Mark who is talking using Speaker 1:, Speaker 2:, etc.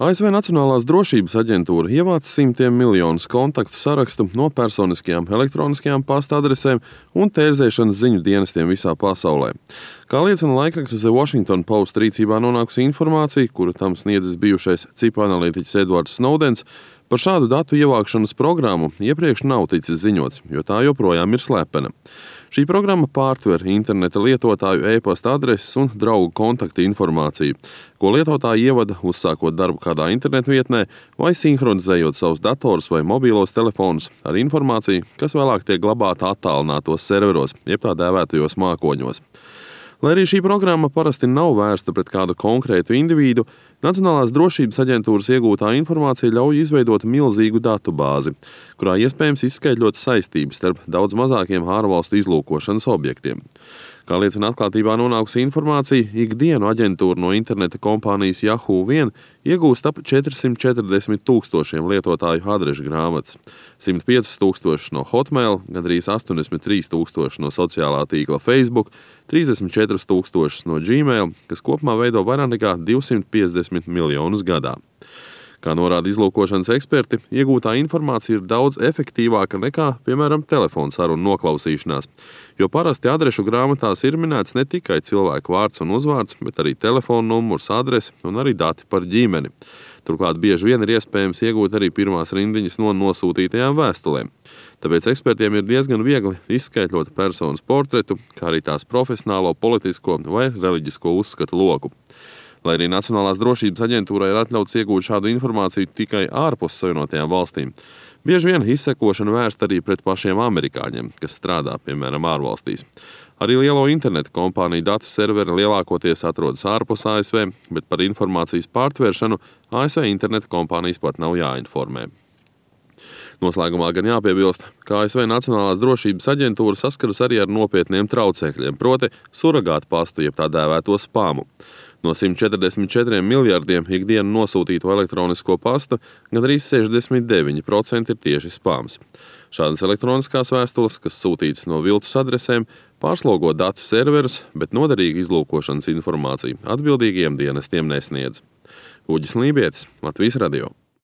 Speaker 1: ASV Nacionālās drošības aģentūra ievāc simtiem miljonus kontaktu sarakstu no personiskajām elektroniskajām pasta adresēm un tērzēšanas ziņu dienestiem visā pasaulē. Kā liecina laikraksts The Washington Post rīcībā nonākusi informācija, kuru tam sniedzis bijušais cipa analītiķis Edvards Snowdens, par šādu datu ievākšanas programmu iepriekš nav ticis ziņots, jo tā joprojām ir slepena. Šī programma pārtver interneta lietotāju e-pasta adreses un draugu kontaktu informāciju, ko lietotāji ievada uzsākot darbu kādā internetu vietnē vai sinhronizējot savus datorus vai mobīlos telefonus ar informāciju, kas vēlāk tiek glabāta attālinātos serveros, jeb tā dēvētajos mākoņos. Lai arī šī programma parasti nav vērsta pret kādu konkrētu individu, Nacionālās drošības aģentūras iegūtā informācija ļauj izveidot milzīgu datu bāzi, kurā iespējams izskaidrot saistības starp daudz mazākiem ārvalstu izlūkošanas objektiem. Kā liecina atklātībā nonākusi informācija, ikdienu aģentūra no interneta kompānijas Yahoo vien iegūst ap 440 tūkstošiem lietotāju adrešu grāmatas, 105 tūkstoši no Hotmail, gandrīz 83 tūkstoši no sociālā tīkla Facebook, 34 tūkstošus no Gmail, kas kopumā veido vairāk nekā 250 miljonus gadā. Kā norāda izlūkošanas eksperti, iegūtā informācija ir daudz efektīvāka nekā, piemēram, telefona sarunu noklausīšanās, jo parasti adrešu grāmatās ir minēts ne tikai cilvēku vārds un uzvārds, bet arī telefona numurs, adrese un arī dati par ģimeni. Turklāt bieži vien ir iespējams iegūt arī pirmās rindiņas no nosūtītajām vēstulēm. Tāpēc ekspertiem ir diezgan viegli izskaidrot personas portretu, kā arī tās profesionālo, politisko vai reliģisko uzskatu loku. Lai arī Nacionālās drošības aģentūrai ir atļauts iegūt šādu informāciju tikai ārpus Savienotajām valstīm, bieži vien izsekošana vērsta arī pret pašiem amerikāņiem, kas strādā, piemēram, ārvalstīs. Arī lielo internetu kompāniju datu serveri lielākoties atrodas ārpus ASV, bet par informācijas pārtvēršanu ASV internetu kompānijas pat nav jāinformē. Noslēgumā gan jāpiebilst, ka ASV Nacionālās drošības aģentūra saskaras arī ar nopietniem traucēkļiem, proti suragātu pastu, jeb tā dēvēto spamu. No 144 miljardiem ikdienu nosūtīto elektronisko pastu gandrīz 69% ir tieši spams. Šādas elektroniskās vēstules, kas sūtītas no viltus adresēm, pārslogo datu serverus, bet noderīgu izlūkošanas informāciju atbildīgiem dienestiem nesniedz. Uģis Lībietis, Latvijas radio.